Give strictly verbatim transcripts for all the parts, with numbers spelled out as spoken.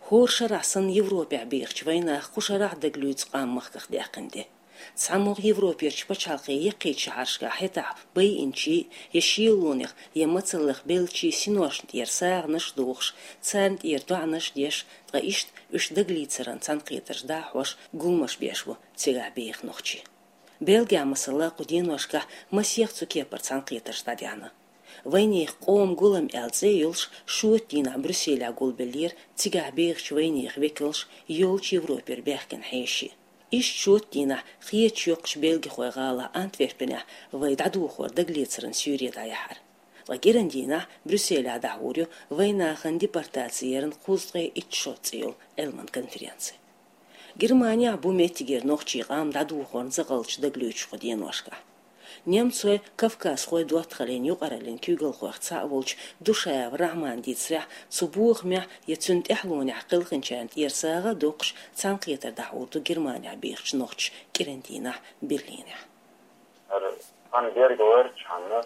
ХӀора шарахь санна Европехь бехачу вайнаха кху шарахь дагалоьцу къам махках даьккхина де. ЦхьамогӀа Европерчу пачхьалкхийн яккхийчу шахьаршкахь хӀетахь байинчий я шелонех, я мацаллех беллачий синошна тӀера сагӀанаш а дохуш, царна тӀера доӀанаш а деш, ткъа иштта уьш дагалецаран цхьаьнакхетарш дӀахьош, гуламаш беш бу цигахь беха нохчий. Бельгехь, масала, кху деношкахь масех цу кепара цхьаьнакхетарш дӀадаьхьна. Вайнехан къоман гулам аьлла цӀе а йолуш, шоьтан дийнахь Брюсселехь гулбеллера цигахь бехачу вайнехан векалш, йоллучу Европера баьхкина хьеший. Иштта шоьтан дийнахь кхечу йоккхачу бельгихойн гӀалахь Антверпенехь вай дӀадохор дагалецаран суьйре дӀаяьхьира. Ткъа кӀиран дийнахь Брюсселехь дӀахьур ю вайнахана депортаци яран кхузткъе итт шо цӀе йолу Ӏилман конференци. Германехь бу меттигера нохчийн къам дӀадохорна закъалташ дагалоьцуш кху деношкахь. Немцойн, кавказхойн доттагӀаллин юкъараллин куьйгалхойх цхьаъ волчу Душаев Рахьмана дийцарехь, цу бохамехь я цуьнан тӀаьхьалонехь кхелхинчарна тӀера сагӀа а доккхуш, цхьаьнакхетар дӀахьур ду Германехь бехачу нохчаша кӀиран дийнахь Берлинехь. ХӀара хан берг варчхьана,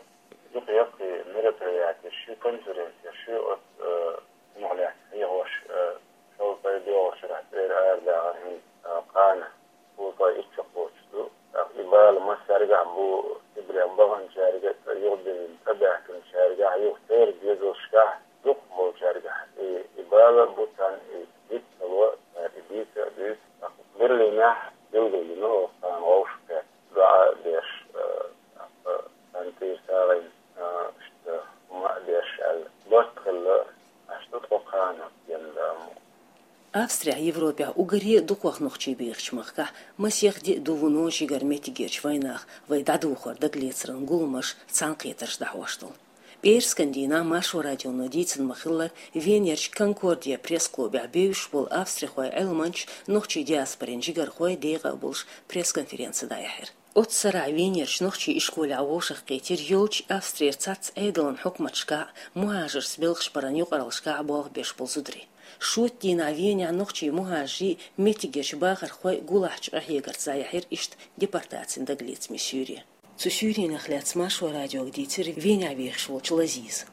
юха-яккхий мероприятеш, конференцеш оцу, э, хӀумах лаьцна хьехош, э, шовзткъе доьалгӀачу шарахь цӀера арадахар хӀинца, э, кхана, кхузткъе итт шо кхочуш ду. ТӀаккха и бала массаьргахь бу, Сибрехь баханчаьрга а, юхабиллина тӀебаьхкинчаьргахь а, юха церан доьзалшкахь а, дукхахболчаьргахь а. И, и бала а бу царна, и диц ца ло, цара и дийца а дуьйцу. ТӀаккха Берлинехь билгалдина оцу кхана вовшахкхетта. ДоӀа а деш, э, тӀаккха царна тӀера сагӀина, э, иштта хӀума а деш аьлла, барт хилла, аьшта тхо кхана генна дамо. Австрехь, Европехь уггаре а дукхах нохчий бехачу махкахь масех де а ду вуно жигара меттигерчу вайнаха вай дӀадохор дагалецаран гуламаш, цхьаьнакхетарш дӀахьош долу. ПӀераскан дийнахь Маршо радионо дийцина ма-хиллара, Венерчу Конкордия пресс-клубехь бевзаш болу австрихойн Ӏилманчаш, нохчийн диаспорин жигархой декъа а болуш пресс-конференци дӀаяьхьира. Оццу сарахь Венерчу нохчийн ишколехь вовшахкхийтира йолчу Австрера цхьацца Ӏедалан хьукматашкахь а, мухӀажаршца белхаш баран юкъараллашкахь а болх беш болу зударий. Шоьтан дийнахь Венехь нохчийн мухӀажарийн, меттигерчу бахархойн гулахьчу къахьегарца дӀаяьхьира иштта депортацин дагалецамийн суьйре. Цу суьйренах лаьцна Маршо радиога дийцира Венехь вехаш волчу Лазиза.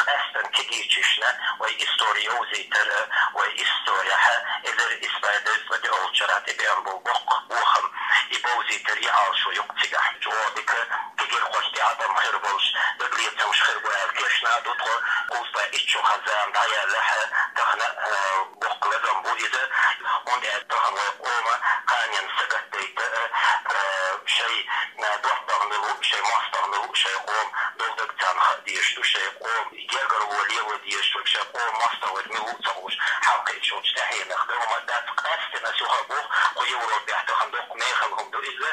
Къаьстина кегийчашна вай истори йовзийтар, вай исторехь эзар исс бӀе дезткъе диъолчу шарахь тӀебеана болу боккха бохам, и бовзийтар, и Ӏалашо ю-кх цигахь. Чу дика кегийрхошна тӀе Ӏадам хир болуш, дагалецамаш хир бу аьлла кешна а ду тхо. Кхузткъе итт шо хан зама дӀаяьллехь, тахана, э, боккха лазам бу иза. ХӀунда аьлча тахана вай къоман кханенна сагатдайта, э, шайн, э, доттагӀа мила ву, шайн мостагӀа мила ву, шайн къоман долу дага царна хаа дезаш ду, шайн къоман гергарло лело дезаш ду, шайн къоман мостагӀа верг мила ву ца хууш, хьалакхуьучу тӀаьхьенах. Дан хӀума дац, къаьстина ас юха а боху, кху Европехь тахана доккха мехала хӀума ду иза.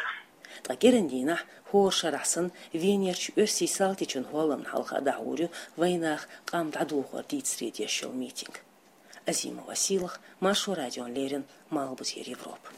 Ткъа кӀиран дийнахь, хӀора шарахь санна, Венерчу Оьрсийн салтичун хӀолламна хьалха дӀахьур ю вайнаха къам дӀадохор дийцаре деш йолу митинг. Азимова Сийлаха, Маршо радиона леррина, Малхбузера Европа.